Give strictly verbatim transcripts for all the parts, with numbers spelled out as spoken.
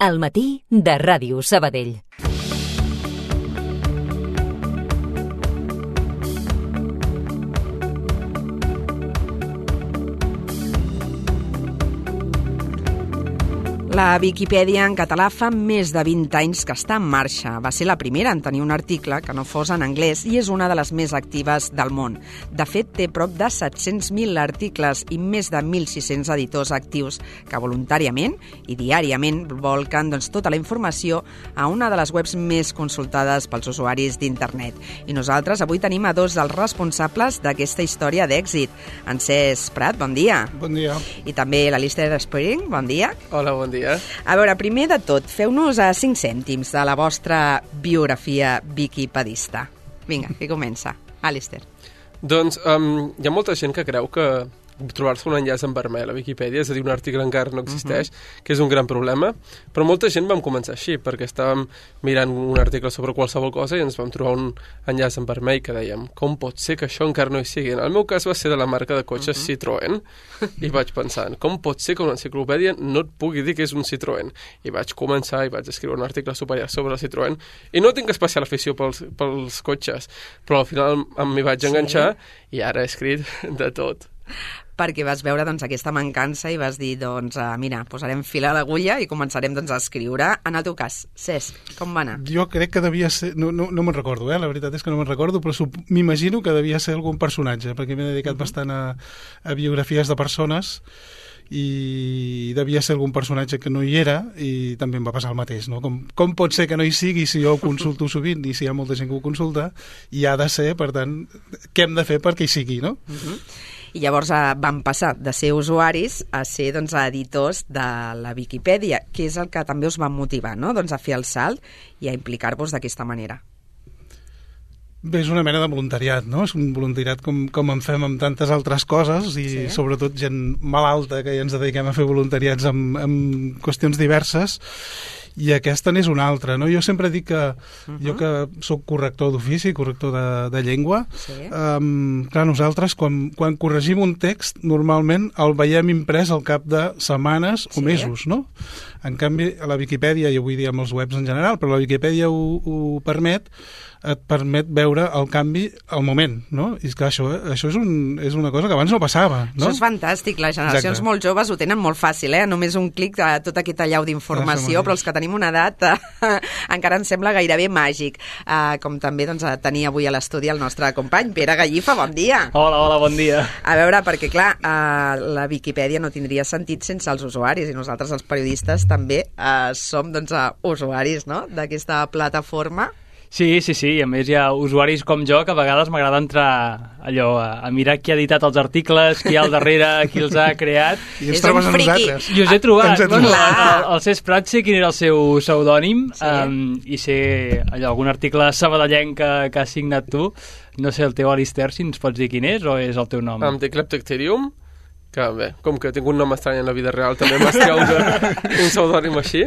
Al matí de Ràdio Sabadell. La Viquipèdia en català fa més de vint anys que està en marxa. Va ser la primera en tenir un article que no fos en anglès i és una de les més actives del món. De fet, té prop de set-cents mil articles i més de mil sis-cents editors actius que voluntàriament i diàriament volquen doncs, tota la informació a una de les webs més consultades pels usuaris d'internet. I nosaltres avui tenim a dos dels responsables d'aquesta història d'èxit. En Cesc Prat, bon dia. Bon dia. I també l'Alistair Spring, bon dia. Hola, bon dia. A veure, primer de tot, feu-nos a cinc cèntims de la vostra biografia viquipedista. Vinga, qui comença? Alistair. Doncs um, hi ha molta gent que creu que trobar-se un enllaç en vermell a Viquipèdia, és a dir, un article encara no existeix, uh-huh. que és un gran problema, però molta gent vam començar així, perquè estàvem mirant un article sobre qualsevol cosa i ens vam trobar un enllaç en vermell que dèiem, com pot ser que això encara no hi sigui? En el meu cas va ser de la marca de cotxes uh-huh. Citroën, i vaig pensar, com pot ser que una enciclopèdia no et pugui dir que és un Citroën? I vaig començar i vaig escriure un article superior sobre el Citroën, i no tinc especial afició pels, pels cotxes, però al final m'hi vaig enganxar sí. i ara he escrit de tot. Perquè vas veure doncs, aquesta mancança i vas dir, doncs, uh, mira, posarem fil a l'agulla i començarem doncs, a escriure. En el teu cas, Cesc, com va anar? Jo crec que devia ser... No, no, no me'n recordo, eh? La veritat és que no me'n recordo, però m'imagino que devia ser algun personatge, perquè m'he dedicat uh-huh. bastant a, a biografies de persones i devia ser algun personatge que no hi era i també em va passar el mateix, no? Com, com pot ser que no hi sigui si jo ho consulto sovint i si hi ha molta gent que ho consulta i ha de ser, per tant, què hem de fer perquè hi sigui, no? Uh-huh. I llavors eh, van passar de ser usuaris a ser doncs, editors de la Viquipèdia, que és el que també us va motivar, no? doncs, a fer el salt i a implicar-vos d'aquesta manera. Bé, és una mena de voluntariat, no? És un voluntariat com, com en fem amb tantes altres coses i sí. sobretot gent malalta que ja ens dediquem a fer voluntariats amb, amb qüestions diverses. I aquesta n'és una altra, no? Jo sempre dic que uh-huh. jo que sóc corrector d'ofici, corrector de, de llengua, sí. um, clar, nosaltres quan, quan corregim un text normalment el veiem imprès al cap de setmanes sí. o mesos, no? En canvi, a la Viquipèdia, i avui dia amb els webs en general, però la Viquipèdia ho, ho permet, et permet veure el canvi al moment, no? I és que això, això és, un, és una cosa que abans no passava, no? Això és fantàstic, les generacions Exacte. Molt joves ho tenen molt fàcil, eh? Només un clic a tot aquest allau d'informació, però els que tenim una edat eh, encara ens sembla gairebé màgic. Eh, com també doncs, tenia avui a l'estudi el nostre company, Pere Gallifa, bon dia. Hola, hola, bon dia. A veure, perquè clar, eh, la Viquipèdia no tindria sentit sense els usuaris, i nosaltres els periodistes també eh, som doncs, usuaris no? d'aquesta plataforma. Sí, sí, sí, i a més hi ha usuaris com jo que a vegades m'agrada entrar allò a, a mirar qui ha editat els articles, qui hi ha al darrere, qui els ha creat. I ens trobes a nosaltres. I us he trobat. Bueno, el, el, el Cesc Prat sé quin era el seu pseudònim sí. um, i sé allò, algun article sabadellenc que, que has signat tu. No sé, el teu Alistair, si ens pots dir quin és o és el teu nom? Em dic Leptocterium, que bé, com que tinc un nom estrany en la vida real també m'has treure un pseudònim així,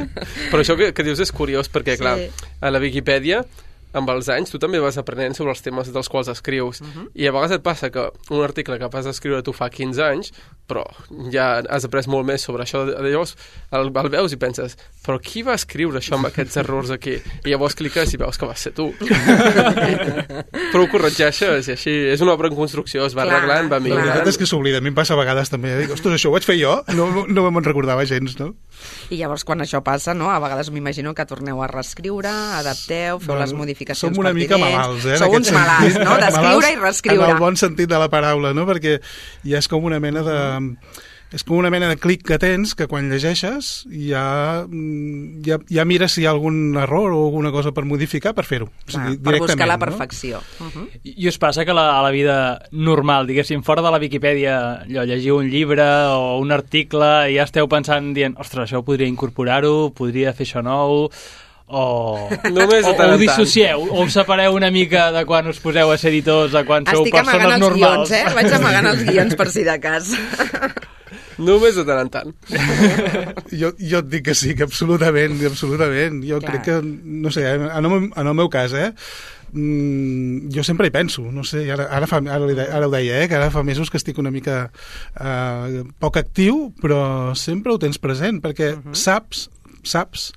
però això que, que dius és curiós perquè clar, sí. a la Viquipèdia amb els anys tu també vas aprenent sobre els temes dels quals escrius uh-huh. i a vegades et passa que un article que vas escriure tu fa quinze anys però ja has après molt més sobre això, llavors el, el veus i penses però qui va escriure això amb aquests errors aquí? I llavors cliques i veus que va ser tu però ho corregeixes i així és una obra en construcció, es va clar, arreglant, va millorant. La veritat és que s'oblida, a mi em passa a vegades també, dic, ostres, això ho vaig fer jo? No, no me'n recordava gens, no? I llavors quan això passa, no? A vegades m'imagino que torneu a reescriure, adapteu, feu bueno, les modificacions som una mica malalts, eh? Sou uns malalts, no? D'escriure i reescriure. En el bon sentit de la paraula, no? Perquè ja és com una mena de... És com una mena de clic que tens que quan llegeixes ja, ja, ja mires si hi ha algun error o alguna cosa per modificar per fer-ho. O sigui, per buscar la perfecció. No? Uh-huh. I, I us passa que la, a la vida normal, diguéssim, fora de la Viquipèdia, allò, llegiu un llibre o un article i ja esteu pensant, dient, ostres, això podria incorporar-ho, podria fer això nou... o, Només o, o ho dissocieu, o us separeu una mica de quan us poseu a ser editors, de quan sou Estic persones normals. Estic amagant els guions, eh? Vaig amagant els guions per si de cas. Només de tant en tant. jo, jo et dic que sí, que absolutament, absolutament. Jo Clar. crec que, no sé, en el, en el meu cas, eh, mm, jo sempre hi penso, no sé, ara, ara, fa, ara, li de, ara ho deia, eh, que ara fa mesos que estic una mica eh, poc actiu, però sempre ho tens present, perquè uh-huh. saps saps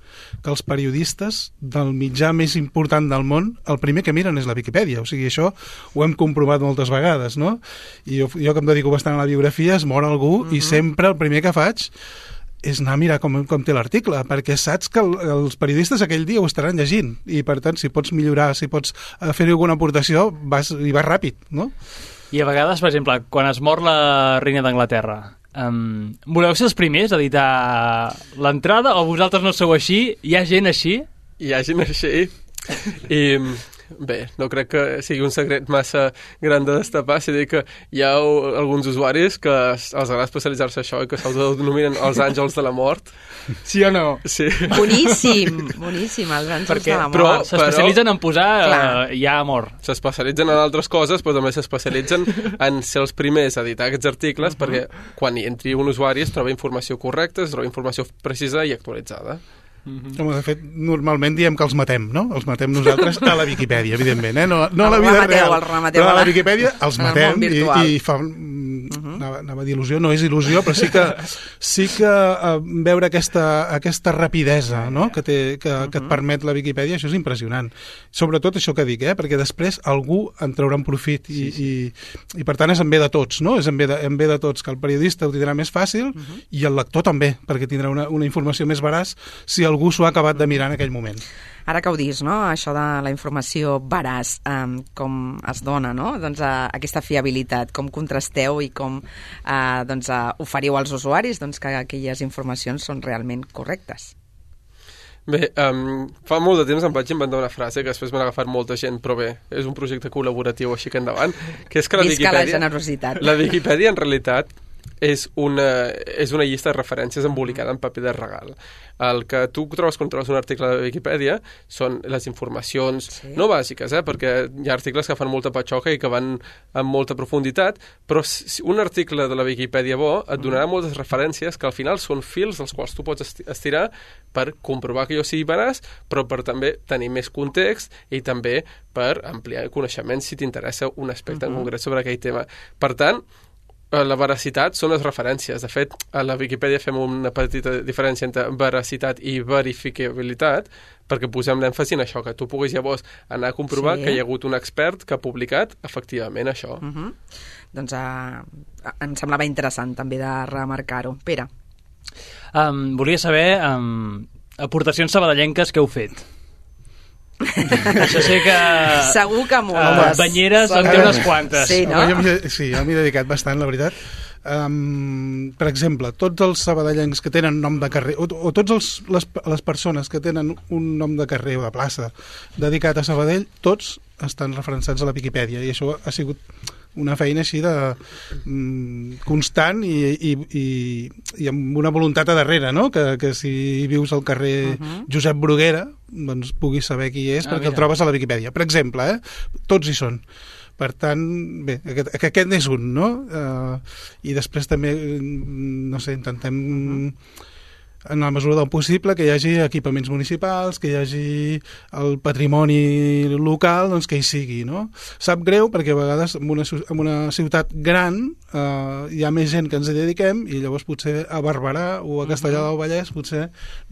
que els periodistes del mitjà més important del món, el primer que miren és la Viquipèdia. O sigui, això ho hem comprovat moltes vegades, no? I jo, jo que em dedico bastant a la biografia, es mor algú uh-huh. i sempre el primer que faig és anar a mirar com, com té l'article, perquè saps que el, els periodistes aquell dia ho estaran llegint i, per tant, si pots millorar, si pots fer-hi alguna aportació, vas, i vas ràpid, no? I a vegades, per exemple, quan es mor la reina d'Anglaterra, um, voleu ser els primers a editar l'entrada o vosaltres no sou així? Hi ha gent així? Hi ha gent així i... Bé, no crec que sigui un secret massa gran de destapar, si dic que hi ha alguns usuaris que els agrada especialitzar-se això i que s'autodenominen els àngels de la mort. Sí o no? Sí. Boníssim, boníssim, els àngels Perquè, de la mort. però s'especialitzen en posar uh, ja amor. S'especialitzen en altres coses, però també s'especialitzen en ser els primers a editar aquests articles, uh-huh. perquè quan hi entri un usuari es troba informació correcta, es troba informació precisa i actualitzada. Mm-hmm. Home, de fet, normalment diem que els matem, no? Els matem nosaltres a la Viquipèdia, evidentment, eh? No, no a la vida remateu, real, el remateu però a la Viquipèdia els matem i, i fa... Uh-huh. Anava, anava a dir il·lusió, no és il·lusió, però sí que, sí que uh, veure aquesta, aquesta rapidesa, no? que, té, que, uh-huh. que et permet la Viquipèdia, això és impressionant. Sobretot això que dic, eh? Perquè després algú en traurà un profit i, sí, sí. i, i per tant és en bé de tots, no? És en bé de, en bé de tots, que el periodista ho tindrà més fàcil uh-huh. i el lector també, perquè tindrà una, una informació més veraç si algú s'ho ha acabat de mirar en aquell moment. Ara que ho dius, no? Això de la informació veraç, um, com es dona, no? Doncs uh, aquesta fiabilitat, com contrasteu i com uh, doncs, uh, oferiu als usuaris doncs, que aquelles informacions són realment correctes. Bé, um, fa molt de temps em vaig inventar una frase que després m'ha agafat molta gent, però bé, és un projecte col·laboratiu així que endavant, que és que la Visca Viquipèdia... la generositat. La Viquipèdia, en realitat, és una, és una llista de referències embolicada en paper de regal. El que tu trobes quan trobes un article de Viquipèdia són les informacions sí. no bàsiques, eh? Perquè hi ha articles que fan molta patxoca i que van amb molta profunditat, però un article de la Viquipèdia bo et donarà mm. moltes referències que al final són fils dels quals tu pots estirar per comprovar que jo sigui veraç, però per també tenir més context i també per ampliar coneixements si t'interessa un aspecte mm-hmm. en concret sobre aquell tema. Per tant, la veracitat són les referències. De fet, a la Viquipèdia fem una petita diferència entre veracitat i verificabilitat, perquè posem l'èmfasi en això, que tu puguis llavors anar a comprovar sí. que hi ha hagut un expert que ha publicat efectivament això. Uh-huh. Doncs uh, em semblava interessant també de remarcar-ho. Pere. Um, volia saber um, aportacions sabadellenques que heu fet. Això sé que... Segur que moltes. Uh, banyeres en té unes quantes. Sí, no? Jo, sí, jo m'hi he dedicat bastant, la veritat. Um, per exemple, tots els sabadellencs que tenen nom de carrer, o, o tots els, les, les persones que tenen un nom de carrer o de plaça dedicat a Sabadell, tots estan referenciats a la Viquipèdia, i això ha sigut una feina així de mm, constant i, i, i, i amb una voluntat a darrere, no? Que, que si vius al carrer uh-huh. Josep Bruguera, doncs puguis saber qui és, ah, perquè mira. El trobes a la Viquipèdia. Per exemple, eh? Tots hi són. Per tant, bé, aquest, aquest és un, no? Uh, I després també, no sé, intentem... Uh-huh. en la mesura del possible, que hi hagi equipaments municipals, que hi hagi el patrimoni local, doncs que hi sigui, no? Sap greu perquè a vegades en una, en una ciutat gran eh, hi ha més gent que ens hi dediquem i llavors potser a Barberà o a Castellar del Vallès potser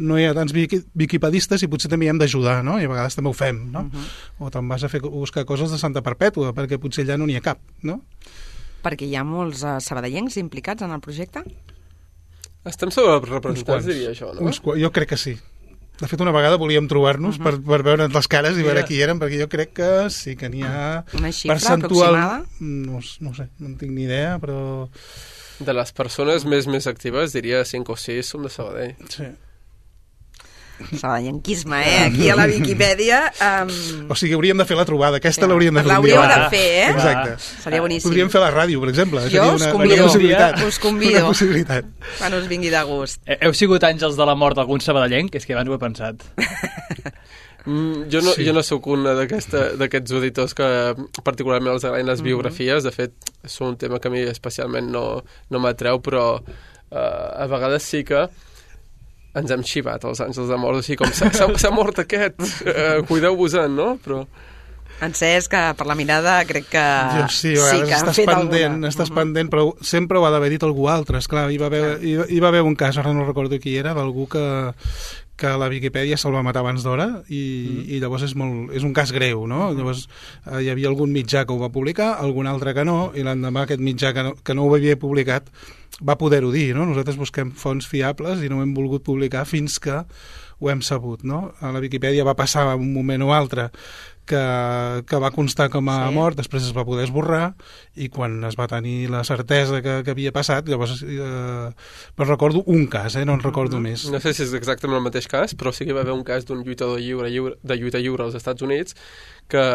no hi ha tants viquipedistes i potser també hi hem d'ajudar, no? I a vegades també ho fem, no? Uh-huh. O te'n vas a fer buscar coses de Santa Perpètua perquè potser allà no n'hi ha cap, no? Perquè hi ha molts uh, sabadellencs implicats en el projecte? Estem sobrerepresentats, diria això, no? Uns, jo crec que sí. De fet, una vegada volíem trobar-nos uh-huh. per, per veure les cares i veure qui eren, perquè jo crec que sí que n'hi ha... Una xifra percentual... aproximada? No, no sé, no en tinc ni idea, però... De les persones més més actives, diria cinc o sis són de Sabadell. Sí. Sabadellenquisme, eh? Aquí a la Viquipèdia... Um... O sigui, hauríem de fer la trobada. Aquesta ja. l'hauríem de fer. L'hauríeu de fer, eh? Exacte. Seria boníssim. Podríem fer la ràdio, per exemple. Jo us una, convido. una possibilitat. Us convido. Una possibilitat. Quan us vingui de gust. Heu sigut àngels de la mort d'algun sabadellenc? És que abans ho he pensat. Mm, jo, no, sí. jo no sóc un d'aquests auditors que particularment els agraden les mm-hmm. biografies. De fet, és un tema que a mi especialment no, no m'atreu, però uh, a vegades sí que ens hem xivat els àngels de mort, així com s'ha mort aquest, uh, cuideu-vos-en, no? Però... En Cesc, que per la mirada crec que jo sí, a sí que estàs han fet pendent, alguna. Estàs uh-huh. pendent, però sempre ho ha d'haver dit algú altre. Esclar, hi va haver, hi, hi va haver un cas, ara no recordo qui era, d'algú que, que la Viquipèdia se'l va matar abans d'hora i, mm. i llavors és, molt, és un cas greu, no? Mm. Llavors eh, hi havia algun mitjà que ho va publicar, algun altre que no, i l'endemà aquest mitjà que no, que no ho havia publicat va poder-ho dir, no? Nosaltres busquem fonts fiables i no ho hem volgut publicar fins que ho hem sabut, no? A la Viquipèdia va passar un moment o altre que, que va constar com a sí. mort, després es va poder esborrar i quan es va tenir la certesa que, que havia passat, llavors eh, però recordo un cas, eh? No en recordo mm-hmm. més. No sé si és exactament el mateix cas, però sí que va haver un cas d'un lluitador lliure, lliure, de lluita lliure als Estats Units que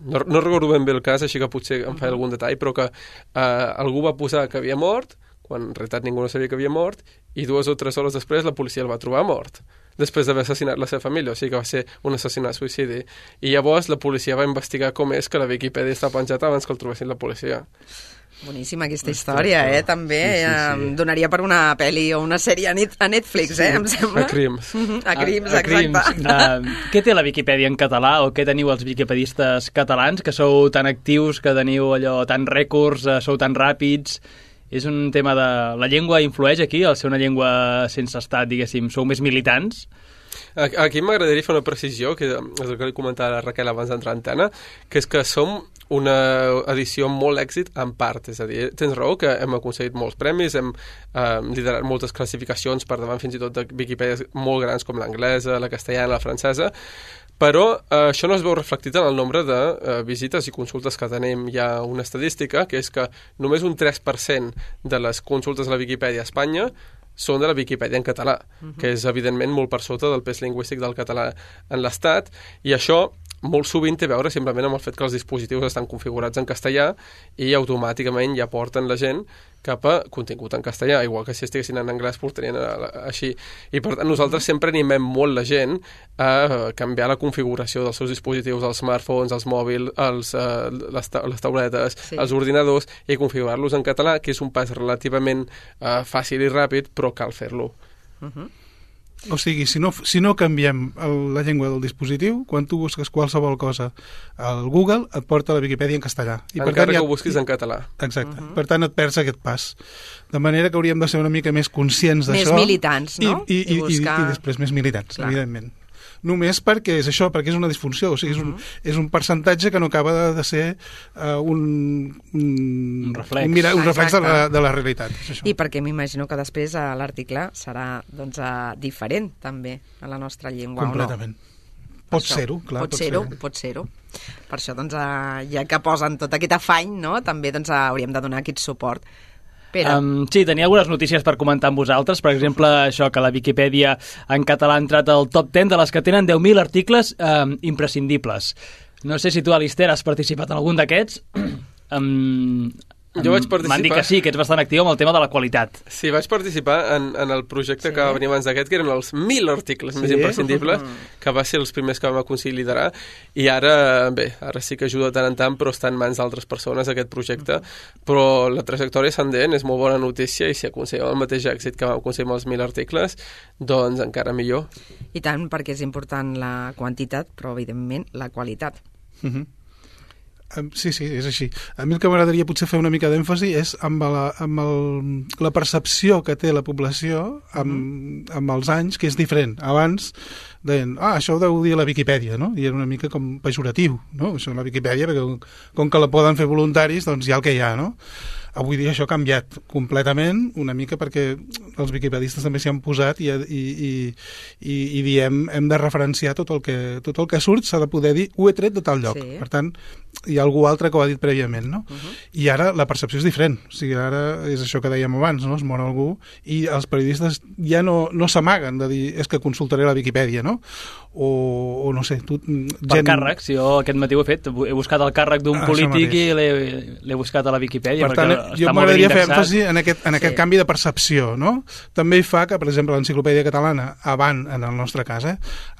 no, no recordo ben bé el cas, així que potser em fa algun detall, però que eh, algú va posar que havia mort, quan en realitat ningú no sabia que havia mort, i dues o tres hores després la policia el va trobar mort, després d'haver assassinat la seva família, o sigui que va ser un assassinat suïcidi. I llavors la policia va investigar com és que la Viquipèdia està penjada abans que el trobessin la policia. Boníssima aquesta història, eh, també. Sí, sí, sí. Em donaria per una pel·li o una sèrie a, net, a Netflix, eh, em sembla. A Crims. A Crims, a, a exacte. Crims. Uh, què té la Viquipèdia en català o què teniu els viquipedistes catalans, que sou tan actius, que teniu allò tan rècords, uh, sou tan ràpids? És un tema de... La llengua influeix aquí, al ser una llengua sense estat, diguéssim, sou més militants? Aquí m'agradaria fer una precisió, que és el que li comentava la Raquel abans d'entrar a antena, que és que som una edició amb molt èxit en part, és a dir, tens raó que hem aconseguit molts premis, hem eh, liderat moltes classificacions per davant fins i tot de Viquipèdies molt grans com l'anglesa, la castellana, la francesa, però eh, això no es veu reflectit en el nombre de eh, visites i consultes que tenim. Hi ha una estadística que és que només un tres per cent de les consultes a la Viquipèdia a Espanya són de la Viquipèdia en català, uh-huh. que és evidentment molt per sota del pes lingüístic del català en l'Estat, i això molt sovint té a veure simplement amb el fet que els dispositius estan configurats en castellà i automàticament ja porten la gent cap a contingut en castellà, igual que si estiguessin en anglès portarien així. I per tant nosaltres sempre animem molt la gent a canviar la configuració dels seus dispositius, els smartphones, els mòbils, els, uh, les, ta les tauletes, sí. els ordinadors, i configurar-los en català, que és un pas relativament uh, fàcil i ràpid, però cal fer-lo. Uh-huh. O sigui, si no, si no canviem el, la llengua del dispositiu, quan tu busques qualsevol cosa al Google, et porta a la Viquipèdia en castellà. I Encara per tant, que ja... ho busquis en català. Exacte. Uh-huh. Per tant, et perds aquest pas. De manera que hauríem de ser una mica més conscients d'això. Més militants, no? I, i, i, I, buscar... i, i després més militants, Clar. evidentment. Només perquè és això, perquè és una disfunció, o sigui, és un, és un percentatge que no acaba de, de ser uh, un, un, un reflex, un, mira, un reflex de, la, de la realitat. És això. I perquè m'imagino que després uh, l'article serà doncs, uh, diferent també a la nostra llengua, completament. o no? Pot ser-ho, clar. Pot ser-ho, ser pot ser-ho. Per això, doncs, uh, ja que posen tot aquest afany, no? També doncs, uh, hauríem de donar aquest suport. Um, sí, tenia algunes notícies per comentar amb vosaltres. Per exemple, això que la Viquipèdia en català ha entrat al top deu de les que tenen deu mil articles um, imprescindibles. No sé si tu, Alister, has participat en algun d'aquests. Um, Jo vaig participar... M'han dit que sí, que ets bastant actiu amb el tema de la qualitat. Sí, vaig participar en, en el projecte sí. que va venir abans d'aquest, que eren els mil articles sí. més imprescindibles, que va ser els primers que vam aconseguir liderar, i ara, bé, ara sí que ajuda tant en tant, però està en mans d'altres persones aquest projecte, però la trajectòria ascendent és molt bona notícia, i si aconseguim el mateix èxit que vam aconseguir amb els mil articles, doncs encara millor. I tant, perquè és important la quantitat, però evidentment la qualitat. Mhm. Sí, sí, és així. A mi el que m'agradaria potser fer una mica d'èmfasi és amb, la, amb el, la percepció que té la població amb, mm. amb els anys, que és diferent. Abans deien, ah, això ho deu dir la Viquipèdia, no? I era una mica com pejoratiu, no? Això la Viquipèdia, perquè com que la poden fer voluntaris, doncs hi ha el que hi ha, no? Avui dia això ha canviat completament, una mica perquè els viquipedistes també s'hi han posat i, i, i, i, i diem, hem de referenciar tot el que, tot el que surt, s'ha de poder dir, ho he tret de tal lloc. Sí. Per tant, hi ha algú altre que ho ha dit prèviament, no? Uh-huh. I ara la percepció és diferent. O sigui, ara és això que dèiem abans, no? Es mor algú i els periodistes ja no, no s'amaguen de dir és que consultaré la Viquipèdia, no? O, o no sé, tu... Gent... Per càrrecs, jo aquest matí ho he fet, he buscat el càrrec d'un ah, polític i l'he buscat a la Viquipèdia. Per tant, jo m'agradaria fer èmfasi en aquest, en aquest sí. canvi de percepció, no? També hi fa que, per exemple, l'enciclopèdia catalana, abans, en el nostre cas, eh,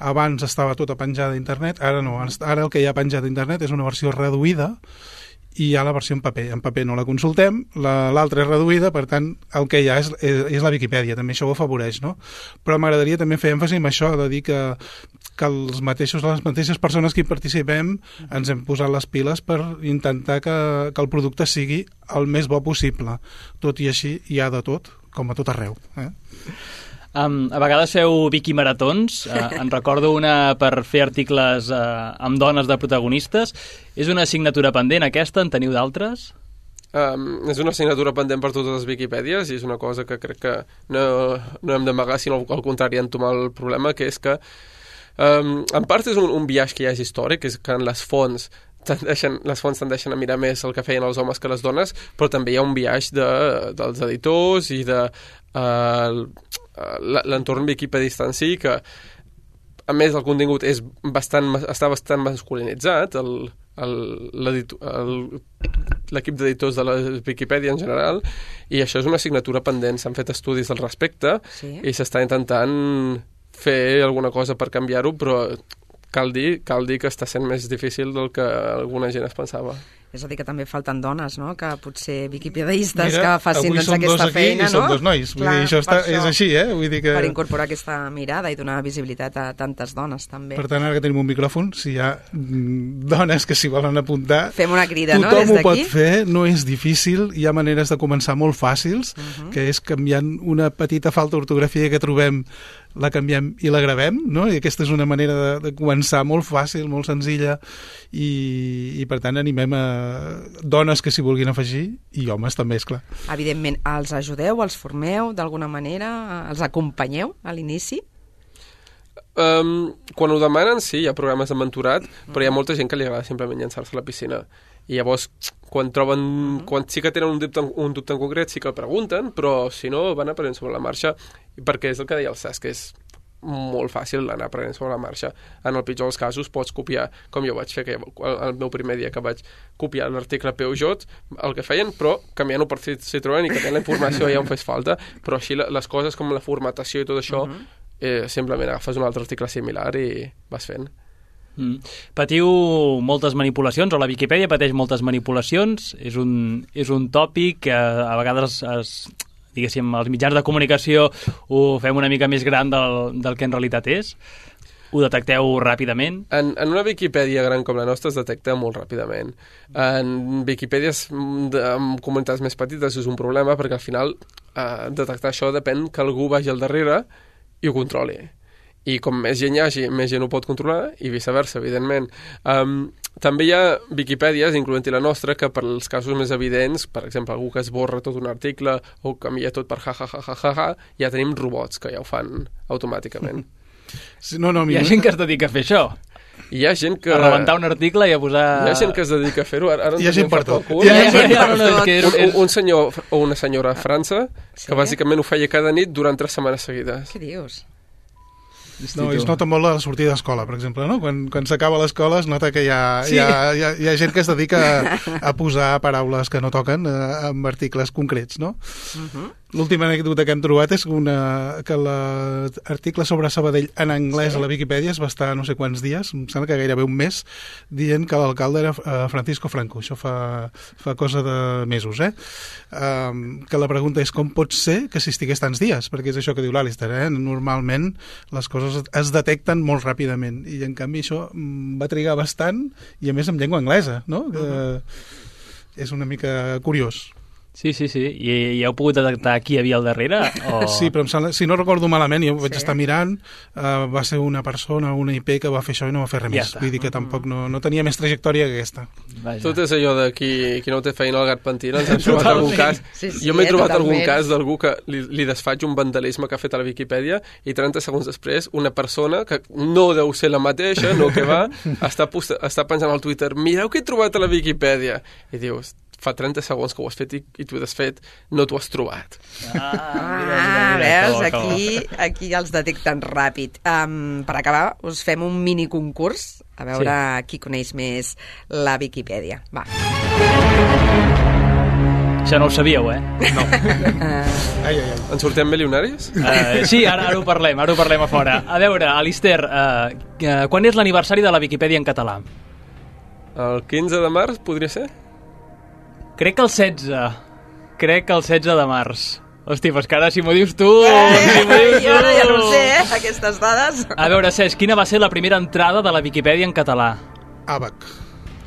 abans estava tota penjada a internet, ara no, ara el que hi ha penjat a internet és una versió reduïda i hi ha la versió en paper. En paper no la consultem, l'altra és reduïda, per tant, el que hi ha és, és, és la Viquipèdia, també això ho afavoreix, no? Però m'agradaria també fer èmfasi en això, de dir que, que els mateixos, les mateixes persones que hi participem ens hem posat les piles per intentar que, que el producte sigui el més bo possible. Tot i així, hi ha de tot, com a tot arreu. Eh? Um, a vegades feu Viquimaratons, uh, en recordo una per fer articles uh, amb dones de protagonistes. És una assignatura pendent aquesta, en teniu d'altres? Um, és una assignatura pendent per totes les Viquipèdies i és una cosa que crec que no, no hem d'amagar, sinó al contrari, entomar el problema, que és que um, en part és un, un viatge que ja és històric, és que en les fonts tendeixen, les fonts tendeixen a mirar més el que feien els homes que les dones, però també hi ha un viatge de, dels editors i de uh, l'entorn wikipedista en si, que a més el contingut és bastant, està bastant masculinitzat, el, l'equip d'editors de la Viquipèdia en general, i això és una assignatura pendent. S'han fet estudis al respecte, sí, i s'està intentant fer alguna cosa per canviar-ho, però cal dir, cal dir que està sent més difícil del que alguna gent es pensava. És a dir, que també falten dones, no?, que potser viquipedistes que facin doncs, aquesta feina, no? Avui som dos nois, vull Clar, dir, això, està, això és així, eh? Vull dir que... Per incorporar aquesta mirada i donar visibilitat a tantes dones, també. Per tant, ara que tenim un micròfon, si hi ha dones que s'hi volen apuntar... Fem una crida, no?, tothom des ho pot d'aquí. fer, no és difícil, hi ha maneres de començar molt fàcils, uh-huh, que és canviant una petita falta d'ortografia que trobem, la canviem i la gravem, no? I aquesta és una manera de, de començar molt fàcil, molt senzilla, i, i per tant animem a dones que s'hi vulguin afegir, i homes també, és clar. Evidentment, els ajudeu, els formeu d'alguna manera, els acompanyeu a l'inici? Um, quan ho demanen, sí, hi ha programes de mentorat, però hi ha molta gent que li agrada simplement llançar-se a la piscina. I llavors, quan troben, uh-huh, quan sí que tenen un dubte, un dubte en concret, sí que el pregunten, però si no, van aprenent sobre la marxa, perquè és el que deia el Cesc, que és molt fàcil anar aprenent sobre la marxa. En el pitjor dels casos pots copiar, com jo vaig fer que el meu primer dia que vaig copiar l'article Peugeot, el que feien, però canviant-ho per Citroën i canviant la informació ja on fes falta, però així les coses com la formatació i tot això, uh-huh, eh, simplement agafes un altre article similar i vas fent. Mm. Patiu moltes manipulacions, o la Viquipèdia pateix moltes manipulacions, és un, és un tòpic que a vegades es, diguéssim, els mitjans de comunicació ho fem una mica més gran del, del que en realitat és. Ho detecteu ràpidament? En, en una Viquipèdia gran com la nostra es detecta molt ràpidament. En Viquipèdies de, en comunitats més petites és un problema, perquè al final eh, detectar això depèn que algú vagi al darrere i ho controli. I com més gent hi hagi, més gent ho pot controlar, i viceversa, evidentment. Um, també hi ha Viquipèdies, incloent-hi la nostra, que per als casos més evidents, per exemple, algú que esborra tot un article o canvia tot per ja, ja, ja, ja, ja, ja, ja tenim robots que ja ho fan automàticament. Sí, no, no, hi ha gent que es dedica a fer això. Hi ha gent que... A rebentar un article i a posar... Hi ha gent que es dedica a fer-ho. Ara, ara hi ha gent per tot. Hi ha gent per tot. Un, un senyor o una senyora a França, sí, que bàsicament ho feia cada nit durant tres setmanes seguides. Què dius? No, es nota molt la sortida d'escola, per exemple, no? Quan, quan s'acaba l'escola es nota que hi ha, sí, hi, ha, hi, ha, hi ha gent que es dedica a, a posar paraules que no toquen eh, en articles concrets, no? Uh-huh. L'última anècdota que hem trobat és una, que l'article sobre Sabadell en anglès, sí, a la Viquipèdia es va estar no sé quants dies, em sembla que gairebé un mes, dient que l'alcalde era uh, Francisco Franco. Això fa, fa cosa de mesos, eh? Um, que la pregunta és com pot ser que s'estigués tants dies, perquè és això que diu l'Alister, eh? Normalment les coses es detecten molt ràpidament, i en canvi això va trigar bastant, i a més en llengua anglesa, no? Que uh-huh, és una mica curiós. Sí, sí, sí. I, i heu pogut detectar qui hi havia al darrere? O... Sí, però sembla, si no recordo malament, jo vaig sí, estar mirant, uh, va ser una persona, una I P que va fer això i no va fer res ja més. Està. Vull dir que tampoc no, no tenia més trajectòria que aquesta. Vaja. Tot és allò de qui, qui no té feina al gat pentina. Ens hem trobat algun cas. Sí, sí, jo m'he eh, trobat totalment. algun cas d'algú que li, li desfaig un vandalisme que ha fet a la Viquipèdia i trenta segons després una persona que no deu ser la mateixa, no que va, està, posta, està penjant al Twitter, mireu què he trobat a la Viquipèdia. I dius, fa trenta segons que ho has fet i, i t'ho has fet, no t'ho has trobat. Ah, mira, mira, mira, veus, aquí, aquí els detecten ràpid. Um, per acabar, us fem un mini concurs, a veure sí, qui coneix més la Viquipèdia. Va. Això no ho sabíeu, eh? No. ai, ai, ai. En sortem milionaris? Uh, sí, ara, ara ho parlem, ara ho parlem a fora. A veure, Alister, uh, uh, quan és l'aniversari de la Viquipèdia en català? El quinze de març, podria ser? Crec que el setze. Crec que el setze de març. Hosti, pues que ara si m'ho dius tu... Eh, si m'ho dius tu. Jo ara ja no sé, eh, aquestes dades. A veure, Cesc, quina va ser la primera entrada de la Viquipèdia en català? Àbac.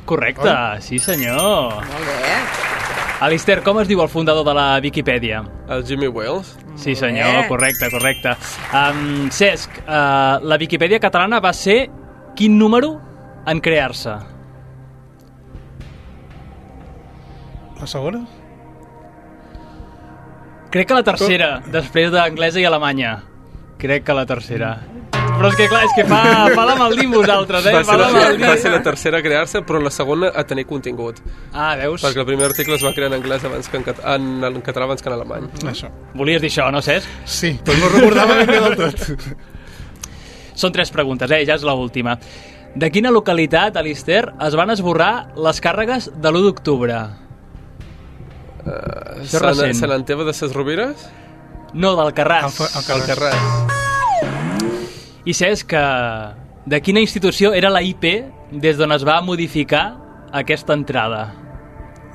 Correcte, Oh. sí senyor. Molt bé. Alister, com es diu el fundador de la Viquipèdia? El Jimmy Wales. Sí, senyor, correcte, correcte. Um, Cesc, uh, la Viquipèdia catalana va ser quin número en crear-se? La segona? Crec que la tercera, després d'anglesa i alemanya. Crec que la tercera. Però és que, clar, és que fa, fa la mal dir vosaltres, eh? Va ser, la, fa la va ser la tercera a crear-se, però la segona a tenir contingut. Ah, veus? Perquè el primer article es va crear en anglès abans que en, cat en, en català abans que en alemany. Això. Volies dir això, no, Cesc? Sí, però no recordava ben bé del tot. Són tres preguntes, eh? Ja és l'última. De quina localitat, Alister, es van esborrar les càrregues de l'u d'octubre? Uh, Això Sant, recent. Sant Anteve de ses Rovires? No, d'Alcarràs. Alfa- Alcarràs. I saps que de quina institució era la I P des d'on es va modificar aquesta entrada?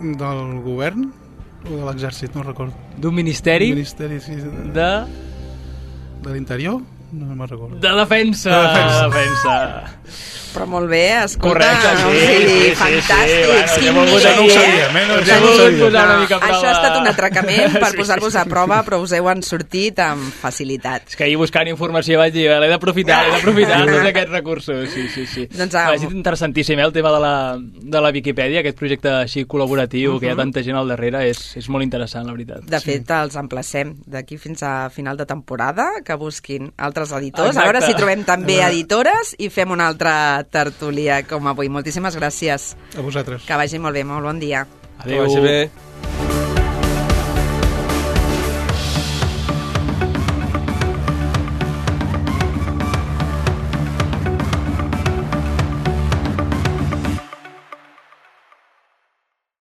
Del govern o de l'exèrcit, no recordo. D'un ministeri El Ministeri sí, de, de... de l'Interior? No, no me'n recordo. de defensa. De defensa. defensa. Però molt bé, escolta, Correcte, no? sí, O sigui, sí, sí, fantàstic, sí, bueno, quin ja m'ho nivell, ja no ho eh? sabíem, eh? No, Ja ja no m'ho ho vull sabíem. posar una No, mica a prova. això ha estat un atracament per Sí, posar-vos sí, a sí. prova, però us heu en sortit amb facilitat. És que ahir buscant informació vaig dir, l'he d'aprofitar, l'he d'aprofitar tots aquests recursos. Sí, sí, sí. Doncs, Va, ah, ha estat interessantíssim, eh, el tema de la, de la Viquipèdia, aquest projecte així col·laboratiu, que hi ha tanta gent al darrere, és, és molt interessant, la veritat. De fet, els emplacem d'aquí fins a final de temporada que busquin altres editors. Exacte. A veure si trobem també editores i fem una altra tertúlia com avui. Moltíssimes gràcies. A vosaltres. Que vagi molt bé, molt bon dia. Adéu. Que vagi bé.